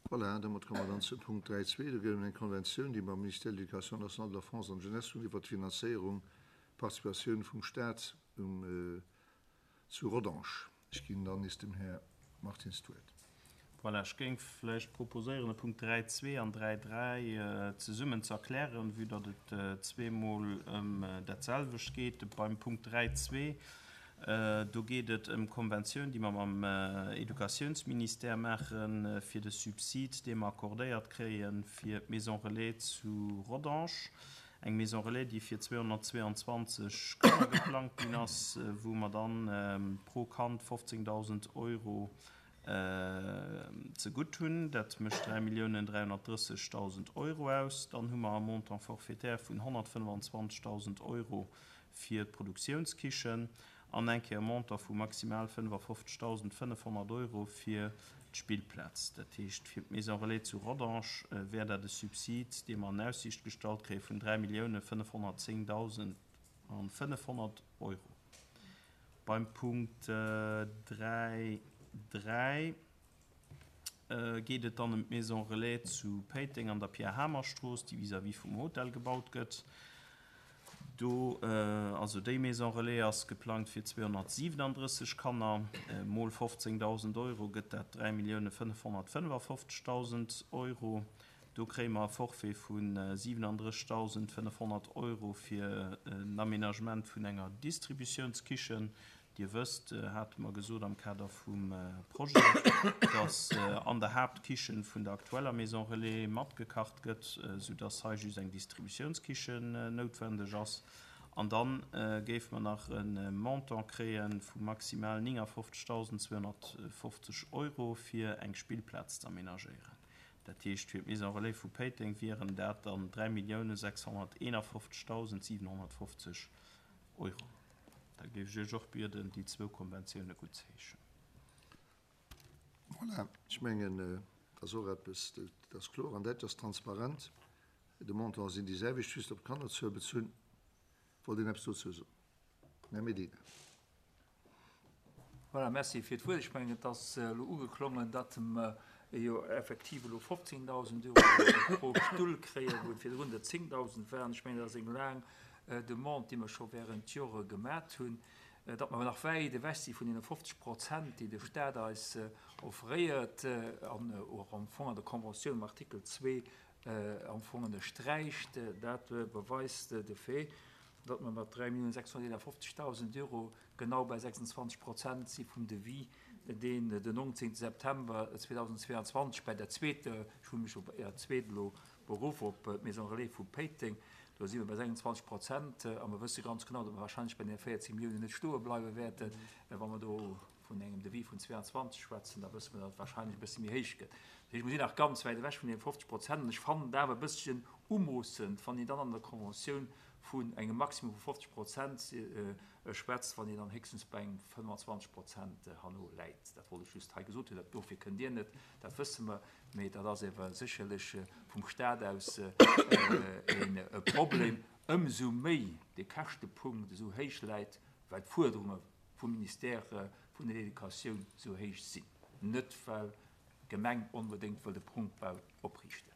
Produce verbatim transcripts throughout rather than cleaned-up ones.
Voilà, domat komme mer dann zum Punkt dräi zwee. Do geet et ëm eng Konventioun, déi mam Ministère de l'Éducation nationale, de l'Enfance an de Jeunesse hunn iwwert d'Finanzéierung, d'Participatioun vum Stat um zu Rodange. Ech ginn dann nees dem Här Martins d'Wuert. Voilà, ech géing vläicht proposéieren, de Punkt dräi zwee an dräi dräi zesummen ze erklären, vue datt et zweemol ëm datselwecht geet. Beim Punkt dräi zwee, do geet et ëm d'Konventioun, déi mer mam Educatiounsministère maache fir de Subsid, dee mer accordéiert kréie fir d'Maison relais zu Rodange. Eng Maison relais, déi fir zweehonnertzweeanzwanzeg Kanner geplangt ginn ass, wou mer dann pro Kand fofzéngdausend Euro zegutt hunn. Dat mécht dräi Milliounen dräihonnertdrëssegdausend Euro aus. Dann hu mer e Montant forfaitaire vun honnertfënnfanzwanzegdausend Euro fir d'Produktiounskichen an eng Kéier e Montant vu maximal fënnefafofzegdausendfënnefhonnert Euro fir d'Spillplaz. Dat heescht, fir d'Maison relais zu Rodange wär dat e Subsid, dee mer an Aussiicht gestallt kréie vun dräi Milliounen fënnefhonnertzéngdausend fënnefhonnert Euro. Beim Punkt dräi dräi geet et dann ëm d'Maison relais zu Péiteng an der Pierre-Hamer-Strooss, déi vis-à-vis vum Hotel gebaut gëtt. Do, also déi Maison relais ass geplangt fir zweehonnertsiwenandrësseg Kanner. Mol fofzéngdausend Euro gëtt dat dräi Millioune fënnefhonnertfënnefafofzegdausend Euro. Do kréie mer e Forfait vu siwenandrëssigdausendfënnefhonnert Euro fir en Aménagement vun enger Distributiounskichen. Dir wësst, hate mer gesot am Kader vum Projet, dass an der Haaptkichen vun der aktueller Maison relais matgekacht gëtt, soudass hei just eng Distributiounskichen noutwendeg ass. An da géife mer nach e Montant kréie vu maximal néngafofzegdausendzweehonnertfofzeg Euro, fir eng Spillplaz ze aménagéieren. Dat heescht, fir d'Maison relais vu Péiteng wieren dat dann dräi Milliounen sechshonnerteenafofzegdausendsiewenhonnertfofzeg Euro. Da géif ech Iech och bieden, déi zwou Konventioune guttzeheeschen. Voilà, ech mengen, dat ass och eppes, dat ass kloer an dat ass transparent. De Montanten sinn déi selwecht, just op d'Kannerzuel bezunn. Wollt een eppes dozou soen? Här Medina. Voilà, merci fir d'Wuert. Ech mengen, et ass elo ugeklongen, datt mer jo effektiv elo fofzéngdausend Euro pro Stull kréien, wou et virdrun der zéngdausend waren. Ech mengen, dat ass eng laang Demande, déi mer scho während Jore gemat hunn, datt mer nach wäit ewech si vun deene fofzeg Prozent, déi de Stat eis offréiert an och am Fong an der Conventioun am Artikel zwee am Fong ënnersträicht. Dat beweist de Fait, datt mer mat dräi Milliounen sechshonnerteenafofzegdausend Euro genau bei sechsundzwanzeg Prozent si vum Devis, deen den nonzéngte September zweedausendzweeanzwanzeg bei der zweeter, ech hu mech op Är zweet elo beruff, op d'Maison relais vu Péiteng, do si mer bei sechsundzwanzeg Prozent a mer wësse ganz genau, datt mer wahrscheinlech bei deene véierzéng Milliounen net stoe bleiwe wäerten. Wa mer do vun engem Devis vun zweeanzwanzeg schwätzen, da wësse mer, datt et wahrscheinlech e bësse méi héich gëtt. Dat heescht, mer sinn nach ganz wäit ewech vun deene fofzeg Prozent an ech fannen et awer e bësschen umoossend, wann een dann an der Conventioun vun engem Maximum vu fofzeg Prozent schwätzt, wann een dann héchstens bei engem fënnfanzwanzeg Prozent herno läit. Dat wollt ech just hei gesot hunn. Dat dofir kënnt Dir net, dat wësse mer. Mee dat ass ewer sécherlech vum Stat aus e Problem, ëmsou méi de Käschtepunkt esou héich läit, well d'Fuerderunge vum Ministère vun der Educatioun esou héich sinn, net well d'Gemeng onbedéngt wëll de Prunkbau opriichten.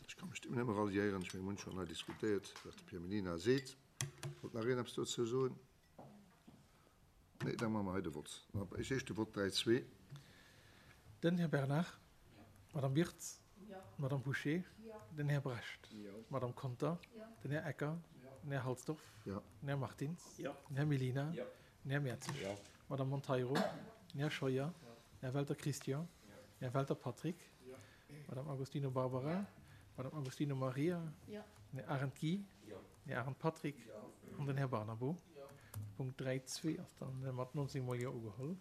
Ech ka mech dem nëmme ralliéieren. Ech mengen, mir hunn schonn hei diskutéiert, wat de Pierre Mellina seet. Wollt nach een eppes dozou soen? Nee, da maache mer hei de Vott. Ech éischt de Vott dräi, zwee. Den Här Bernard, d'Madame Wirtz, d'Madame Bouché, den Här Brecht, d'Madame Conter, den Här Ecker, den Här Halsdorf, den Här Martins, den Här Mellina, den Här Mertzig, d'Madame Monteiro, den Här Scheuer, den Här Welter Christian, den Här Welter Patrick, d'Madame Agostino Barbara, d'Madame Agostino Maria, den Här Arendt Guy, den Här Arendt Patrick an den Här Barnabo. Punkt dräi zwee ass dann mat nonzéng mol Jo ugeholl.